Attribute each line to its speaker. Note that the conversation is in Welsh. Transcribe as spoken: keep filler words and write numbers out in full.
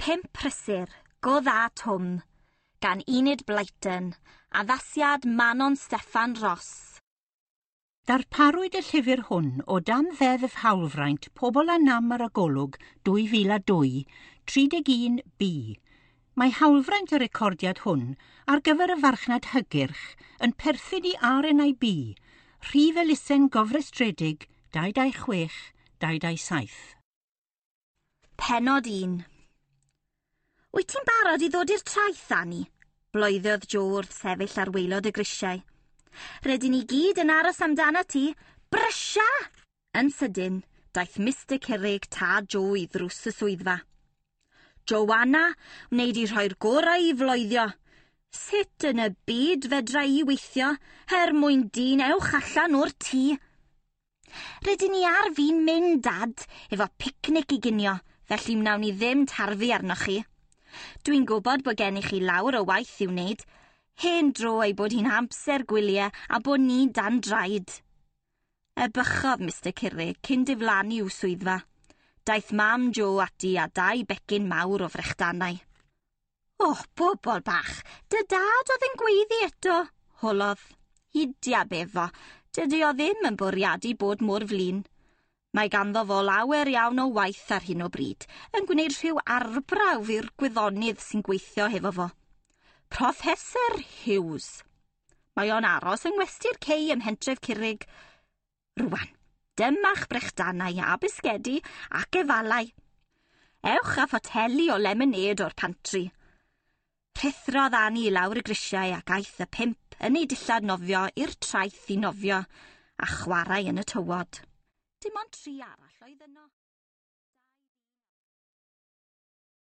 Speaker 1: Pump Prysur, Go Dda Twm, gan Enid Blyton, addasiad Manon Steffan Ros.
Speaker 2: Darparwyd y llyfr hwn o dan Ddeddf Hawlfraint Pobl â Nam ar y Golwg dwy fil a dwy, tri deg un B. Mae hawlfraint y recordiad hwn ar gyfer y farchnad hygyrch yn perthyn i R N I B, rhif elusen gofrestredig dau dau chwech dau dau saith.
Speaker 1: Pennod un. Wyt ti'n barod i ddod i'r traeth, Annie? Bloeddodd Jo wrth sefyll ar waelod y grisiau. Rydyn ni gyd yn aros amdano ti. Brysia! Yn sydyn, daeth Mister Curig tad Jo i ddrws y swyddfa. Joanna, wneud i rhoi'r gorau i floeddio. Sut yn y byd fedra i weithio, er mwyn dyn ewch allan o'r tŷ? Rydyn ni ar fin mynd, Dad, efo picnic i ginio, felly wnawn ni ddim tarfu arnoch chi. Dwi'n gwybod bod gennych chi lawr o waith i'w wneud. Hen dro ei bod hi'n amser gwyliau a bod ni dan draed. Ebychodd Mister Curig cyn diflannu i'w swyddfa. Daeth mam Jo ati a dau becyn mawr o frechdanau. O, bobl bach, dy dad oedd yn gweiddi eto, holodd. Hidia befo, dydy o ddim yn bwriadu bod mor flin. Mae ganddo fo lawer iawn o waith ar hyn o bryd, yn gwneud rhyw arbrawf i'r gwyddonydd sy'n gweithio hefo fo. Professor Hughes. Mae o'n aros yng ngwesty'r cei ym mhentref Curig. Rwan, dyma'ch brechdanau a bisgedi ac efalau. Ewch â photeli o lemonade o'r pantri. Rhuthrodd Annie i lawr y grisiau ac aeth y pump yn ei dillad nofio i'r traeth i nofio a chwarae yn y tywod. Dim ond tri arall oedd yno.